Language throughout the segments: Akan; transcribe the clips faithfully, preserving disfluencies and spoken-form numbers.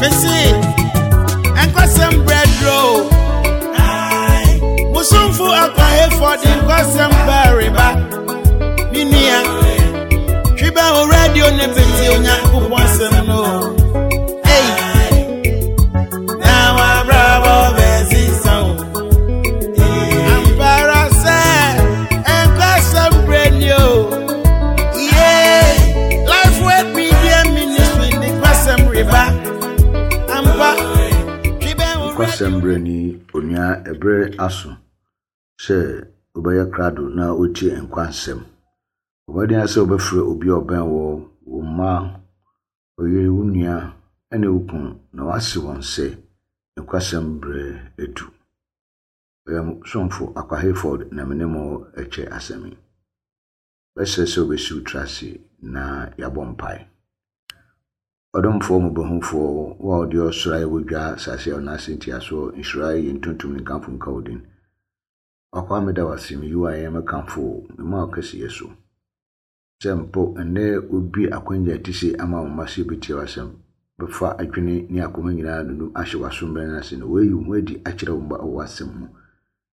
Mese, nkwasɛm brɛduro. Musumfo akwahefo de nkwasɛm bɛreba. Me nua, twi bɛ wo radio ne bɛti Onyankopɔn asɛm no. Ei, na wabrabɔ bɛsesa wo. Ampara sɛ nkwasɛm brɛ ni o. Yeah, Life Word Media Ministry de nkwasɛm reba. Ampa, twi bɛ wo Nkwasɛm berɛ ni, onua. Ɛberɛ aso sɛ wobɛyɛ krado na wotie nkwa nsɛm. Ɔbɛden sɛ wobɛfrɛ obi a ɔbɛn wɔ, wo mma, wo yere, wo nua ne wo kunu na wase wɔn sɛ nkwasɛm berɛ adu. Ɔyɛ somfo Akwa Hayford na me ne mo kyɛ asɛm yi. Bɛsrɛ sɛ wobɛsi wo tiri ase na yɛabɔ mpae. Ɔdomfoɔ mmɔborɔhunufoɔ, wo a wode ɔsoro ayɛ wo dwa, asase a ɔno ase ntiasoɔ, nhyira yɛ ntontom ne nkamfo nka wo din. Wakwa meda wo ase, meyi wo ayɛ, mɛkamfo wo, mema wo kɛseyɛ so. Sɛ mpo ɛnnɛ wobue akwanya a ɛte sei ama wo mma sɛ yɛbɛtie w'asɛm, bɛfa adwene ne akoma nyinaa nunum ahyɛ w'asommerɛ no ase na woayi wo ho adi akyerɛ wo mma wɔ w'asɛm mu.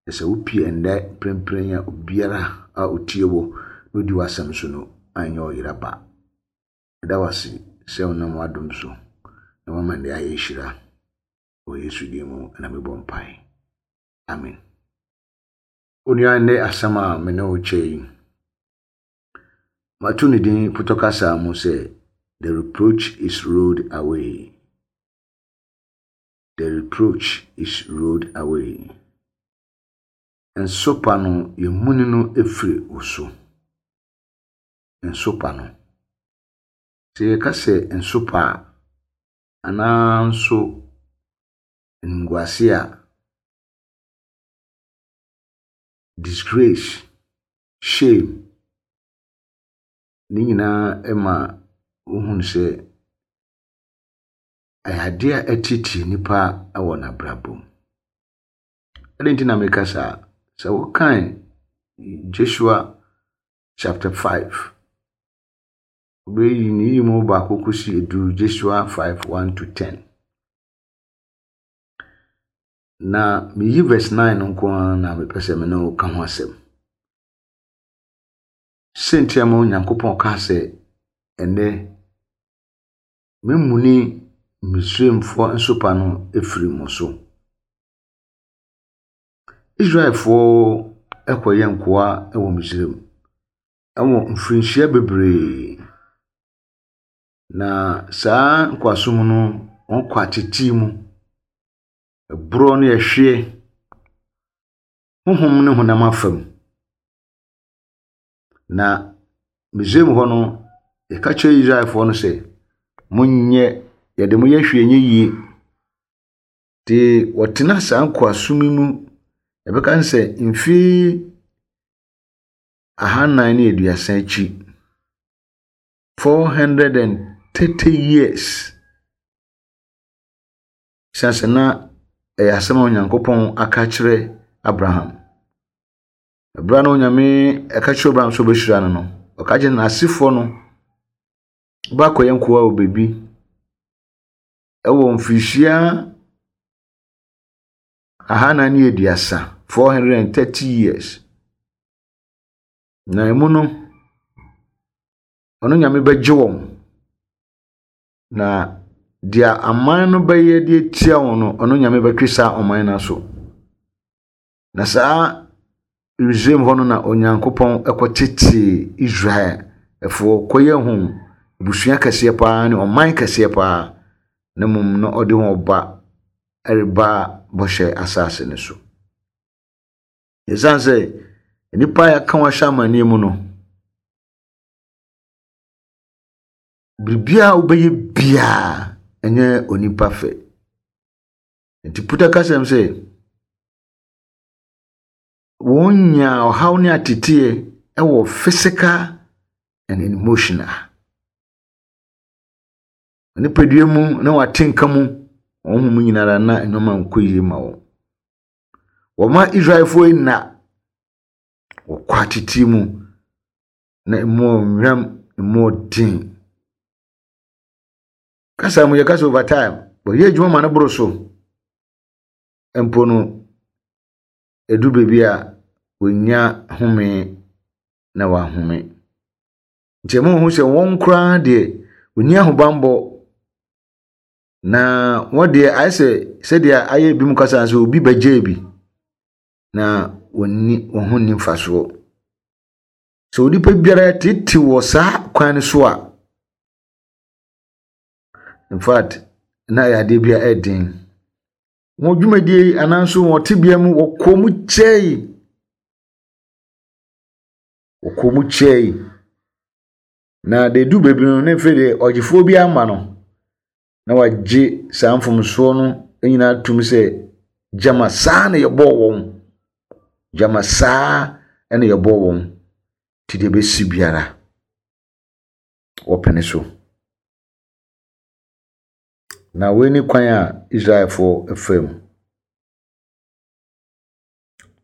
Na sɛ wopie ɛnnɛ mprempren a, obiara a otie wo na odi w'asɛm so no anyɛ ɔyera ba. Meda wo ase sɛ wonam w'adom so na woama nnɛ ayɛ nhyira. Wɔ Yesu din mu na mebɔ mpae. Amen. Onua, nnɛ asɛm a me ne wo kyɛ yi, mato ne din potɔ kasa mu sɛ "The reproach is rolled away". The reproach is rolled away. Nsopa no, yɛmuni no efiri wo so. Nsopa no. Sɛ yɛka sɛ nsopa a, anaa nso animguase a, disgrace, shame, ne nyinaa ma wohunu sɛ ɛyɛ adeɛ a ɛtete nipa wɔ n'abrabɔ mu. Adɛn nti na meka saa? Sɛ wokan Joshua chapter five, wobɛyi ne yi mu baako kɔsi edu, Joshua five one to ten. Na meyi verse nine no nko ara na mepɛ sɛ me ne wo ka ho asɛm. Sɛnti ama Onyankopɔn kaa sɛ ɛnnɛ memuni Misraimfoɔ nsopa no efiri mo so. Israelfoɔ kɔyɛ nkoa wɔ Misraim wɔ mfirinhyia bebree. Na saa nkoasom no, wɔkɔ atete mu. Ɛborɔ ne ɛhweɛ, honhom ne honam afam. Na Misraim hɔ no, yɛka kyerɛ Israelfoɔ no sɛ, monyɛ yɛde mo yɛ hwee nyɛ yie. Nti wɔtena saa nkoasom yi mu, yɛbɛka no sɛ mfeɛ ahanan ne aduasa akyi, four hundred and thirty years. Esiane sɛ na ɛyɛ asɛm a Onyankopɔn aka kyerɛ Abraham. Ɛberɛ a na Onyame ɛka kyerɛ Abraham sɛ ɔbɛhyira no no, ɔka kyerɛ n'asefoɔ no bɛakɔyɛ nkoa wɔ baabi ɛwɔ mfirihyia ahanan ne aduasa, four hundred and thirty years. Na emu no, ɔno Nyame bɛgye wɔn. Na deɛ aman no bɛyɛ de atia wɔn no, ɔno Nyame bɛtwe saa ɔman no aso. Na saa Misraim hɔ no na Onyankopɔn kɔtetee Israelfoɔ kɔyɛ ho abusua kɛseɛ paa ne ɔman kɛseɛ paa. Na mmom na ɔde wɔn ba ɛreba bɔhyɛ asase no so. Ɛsiane sɛ nnipa a yɛaka wɔn ahyɛ amanneɛ mu no, biribiara a wobɛyɛ biara ɛnyɛ onipa fɛ. Nti puta kasɛm sɛ wɔn nya ɔhaw ne ateteɛ ɛwɔ physical and emotional. Nipadua mu na wate nka mu, wɔn ho mu nyinara na nneɛma nkɔ yie ma wɔn. Wɔma Israelfoɔ yi na wɔkɔ atete mu na emu ɔnwam, emu ɔden. Kasa mu yɛka sɛ over time. Wɔyɛ adwuma ma no boro so. Mpo no, ɛdu baabi a wɔnya home na wɔahome. Nti ɛma wɔhu sɛ wɔn koraa deɛ, wɔnni ahobammɔ. Na wɔn deɛ ayɛ sɛ sɛdeɛ ayɛ ebinom kasa sɛ obi bɛgyee bi na wɔnni wɔn ho nni mfasoɔ. Sɛ onipa biara tete wɔ saa kwan no so a, in fact, na ɛyɛ adeɛ bi a ɛyɛ den. Wɔn dwumadie yi anaa nso wɔn tebea mu wɔkɔɔ mu kyɛe. Wɔkɔɔ mu kyɛe. Na deɛ edu baabi no, ne mfe deɛ ɔgyefoɔ bi ama no na wagye saa mfomsoɔ no nyinaa tom sɛ gyama saa na yɛbɔɔ wɔn. Gyama saa na yɛbɔɔ wɔn. Nti deɛ ɛbɛsi biara, wɔpene so. Na wei ne kwan a Israelfoɔ fa mu.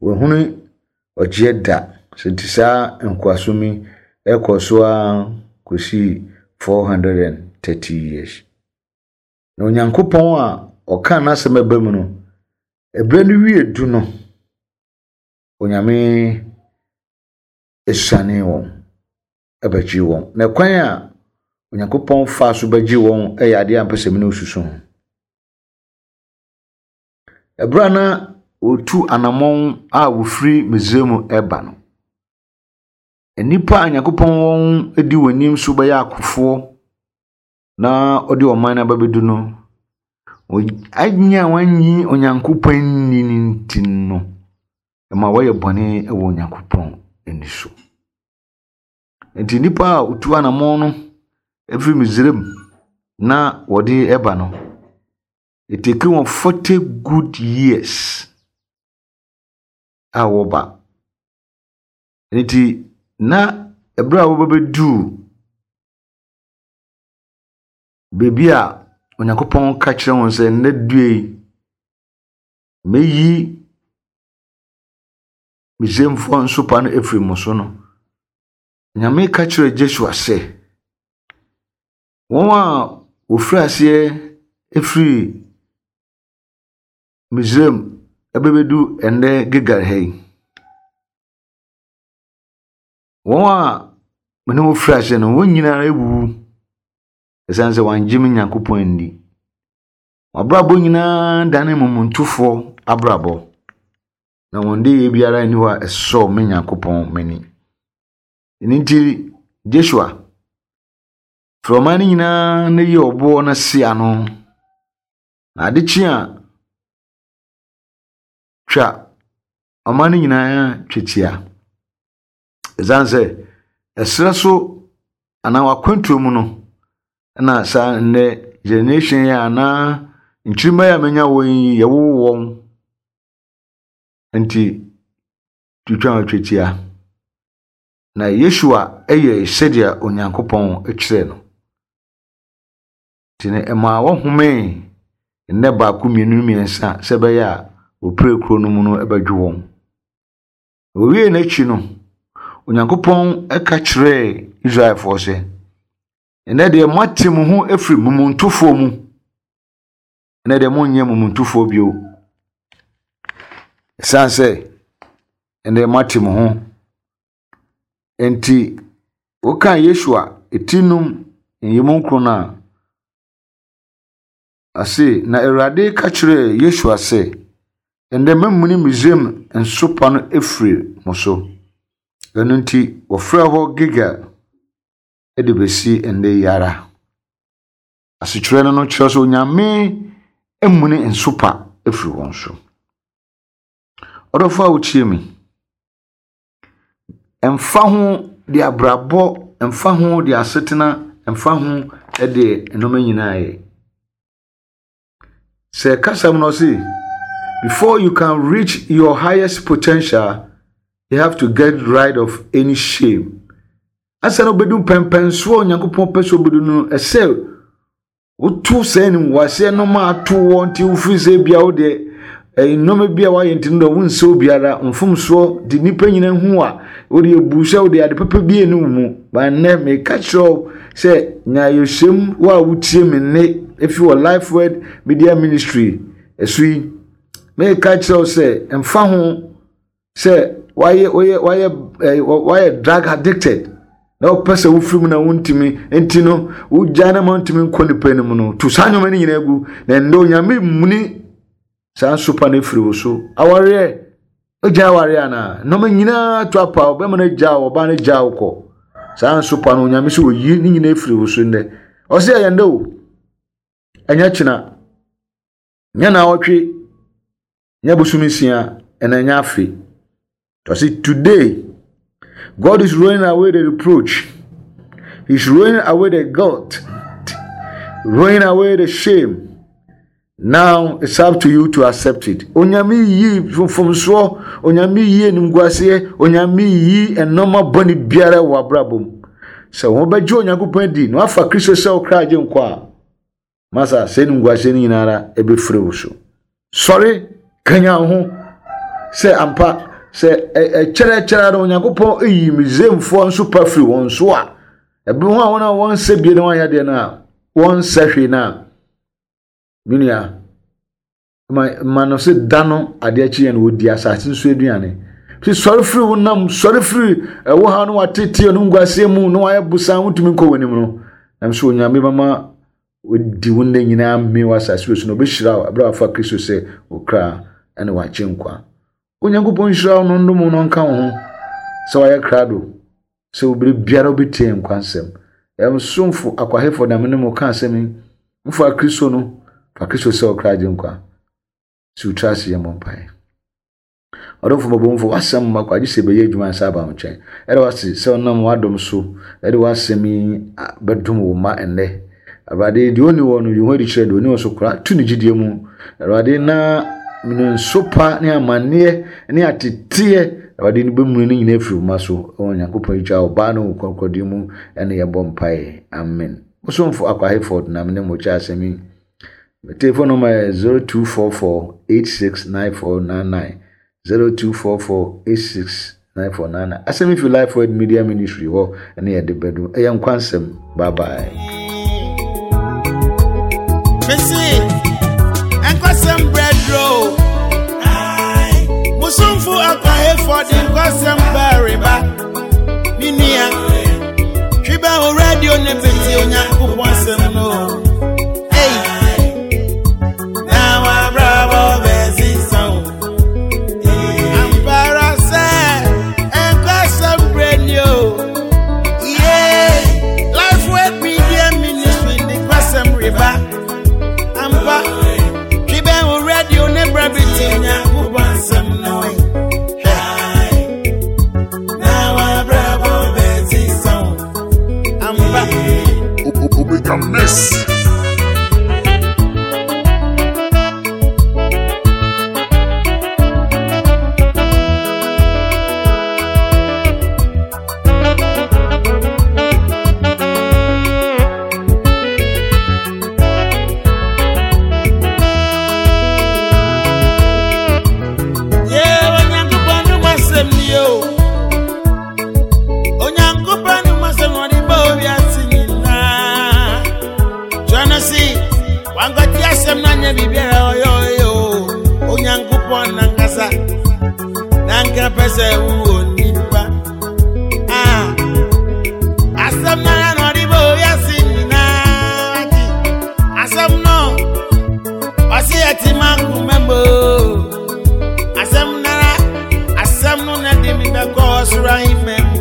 Wɔhunu ɔgyeɛ da. Sɛ nti saa nkoasom yi ɛkɔ so ara kɔsii four hundred and thirty years. Na Onyankopɔn a ɔkaa n'asɛm ɛba mu no, ɛberɛ no wie du no, Onyame esiane wɔn, ɛbɛgye wɔn. Na kwan a Onyankopɔn faa so bɛgye wɔn ɛyɛ adeɛ a mpɛ sɛ me ne wo susu ho. Ɛberɛ a na wɔtu anammɔn a wɔfiri Misraim ɛba no, nnipa a Onyankopɔn wɔn di wɔn anim so bɛyɛ akofoɔ na ɔde ɔman no aba bɛdu no, anya wɔanyi Onyankopɔn nni no nti no, ɛma wɔyɛ bɔne wɔ Onyankopɔn ani so. Nti nnipa a wɔtu anammɔn no ɛfiri Misraim na wɔde ɛba no, it take wɔn forty good years a wɔba. Nti na ɛberɛ a wɔbɛbɛduu baabi a Onyankopɔn ka kyerɛ wɔn sɛ nnɛ due yi, mɛyi Misraimfoɔ nsopa no afiri mo so no, Nyame ka kyerɛɛ Joshua sɛ, wɔn a wɔfiri aseɛ efiri Misraim ɛbɛbɛdu ɛnnɛ Gilgal ha yi, wɔn a me ne wɔn firi aseɛ no, wɔn nyinaa awuwu ɛsiane sɛ wɔangye me Nyankopɔn anni. Wɔn abrabɔ nyinaa dane momontofoɔ abrabɔ, na wɔn de biara nni hɔ a ɛsɔɔ me Nyankopɔn m'ani. Ɛno nti, Joshua, frɛ ɔman no nyinaa na yi ɔboɔ no si ano. Na ade kye a, twa ɔman no nyinaa twetia. Ɛsiane sɛ ɛserɛ so anaa w'akwantuo mu no, ɛna saa nnɛ generation yi anaa nkyirimma yi a manya wɔn yi, yɛwowo wɔn. Nti, twitwa wɔn twetia. Na Yeshua yɛ sɛdeɛ Onyankopɔn kyerɛɛ no. Nti no, ɛmaa wɔhomee nnɛ baako, mmienu, mmiɛnsa sɛ ɛbɛyɛ a wɔpire kuro no mu no bɛdwo wɔn. Wɔwie n'akyi no, Onyankopɔn ka kyerɛɛ Israelfoɔ sɛ, ɛnnɛ deɛ moate mo ho afiri momontofoɔ mu. Ɛnnɛ deɛ monyɛ momontofoɔ bio. Ɛsiane sɛ ɛnnɛ moate mo ho. Enti wokaa Yeshua ti num nyimu nkron no a, ase na Awurade ka kyerɛɛ Yeshua sɛ, ɛnnɛ mamuni Misraim nsopa no afiri mo so. Ɛno nti, wɔfrɛ hɔ Gilgal de bɛsi ɛnnɛ yi ara. Asekyerɛ no no kyerɛ sɛ Onyame amuni nsopa afiri wɔn so. Ɔdɔfo a wotie me, ɛmfa ho de abrabɔ, ɛmfa ho de asetena, ɛmfa ho de nneɛma nyinaa yɛ. Sɛ kasa mu no ɔse, before you can reach your highest potential, you have to get rid of any shame. Asa na obedu pɛmpɛnsoɔ a Onyankopɔn pɛ sɛ obedu no, ɛsɛ wotu saa animguaseɛ nneɛma ato wɔ nti wofiri sɛ bia wo deɛ nneɛma bi a wayɛ nti no deɛ wonsɛ obiara mfomsoɔ de nnipa nyinaa hu a wode ebu sɛ wode ade papa bi eni wo mu. Ba nnɛ meka kyerɛ wo Sɛ nyayosem wa wutie me ne efi wɔ Life Word Media Ministry ɛso yi meka kyerɛ wo sɛ mfa ho sɛ wayɛ wayɛ wayɛ wayɛ drug addicted na wopɛ sɛ wofiri mu na wontumi nti no wogya na ma ntumi nkɔ nipa no mu no to saa nneɛma no nyinaa gu na ɛndɛ Onyame muni saa nsopa no afiri wo so. Awareɛ ogya awareɛ anaa nneɛma nyinaa to apa wo bɛma no gya wo ɔbaa no gya wo kɔ saa nsopa no Onyame sɛ oyi ne nyinaa afiri wo so nnɛ. Ɔsɛ ɛyɛ ndɛ o, ɛnyɛ kyena, nyɛ na ɔtwe, nyɛ bosom nsia, ɛna ɛnyɛ afe. Ɔsɛ today God is rolling away the reproach. He's rolling away the guilt, rolling away the shame. Now it's up to you to accept it. Onyame yi mfomsoɔ, Onyame yi animguaseɛ, Onyame yi ɛnɔma bɔne biara wɔ abrabɔ mu. Sɛ wɔn bɛgye Onyankopɔn adi na wafa Kristo sɛ ɔkra agye nkwa a, masa sɛ animguaseɛ no nyinara ɛbɛfiri wo so. Sɔre, kanya wo ho sɛ ampa sɛ ɛkyerɛkyerɛ no Onyankopɔn eyi Misraimfoɔ nso pa firi wɔn so a, ɛbi ho a wɔn a wɔnsɛ bie na wɔanyɛ deɛ no a, wɔnsɛ hwee no a, menua, ma ma no sɛ da no adeɛ kye yɛn no wɔdi asase nso aduane. Sɛ sɔre firi wo nam, sɔre firi ɛwɔ ha no watete no nguaseɛ mu na wayɛ bosan wontumi nkɔ w'anim no, nam sɛ Onyame bɛma wɔdi wo nna nyinaa mme wɔ asase wɔ so na ɔbɛhyira wo ɛberɛ a wafa Kristo sɛ wo kra ɛne wakye nkwa. Onyankopɔn nhyira wo no ndom no nka wo ho sɛ wayɛ krado sɛ wobere biara wobɛtie nkwa nsɛm. Ɛmsomfo akwahefo na mene mo ka asɛm yi, mfa Kristo no, fa Kristo sɛ wo kra agye nkwa. Si wo tiri ase yɛ mmɔ mpaeɛ. Ɔdomfo mmɔbɔmfo, w'asɛm mma kɔ agye sɛ ɛbɛyɛ adwuma ansa aba wo nkyɛn. Ɛde w'ase sɛ ɔnam w'adom so ɛde w'asɛm yi bɛdom wo mma ɛnnɛ. Awurade, deɛ ɔnni hɔ no, yi ho adi kyerɛ deɛ ɔnni hɔ so kora tu ne gyidie mu. Awurade, na nsopa ne amanneɛ ne ateteɛ Awurade no bɛmuni no nyinaa afiri wo mma so. Ɛwɔ Onyankopɔn yi twa ɔbaa no wɔ kronkron mu ɛne yɛbɔ mpaeɛ. Amen. Bosomfo Akwahefo na mene mo kyɛ asɛm yi. My telephone number is zero two four four eight six nine four nine nine, zero two four four eight six nine four nine nine. Asɛm fi Life Word Media Ministry hɔ ɛne yɛde bɛdo. Ɛyɛ nkwansɛm. Bye bye. Missy, nkwansɛm bread roll. Musumfu Akwahefo de nkwansɛm bɛreba. Minia, twiba o radio ne beti Onyankopɔn asɛm no. Miss. Asem nara, asem no na di mi be ko sura ime.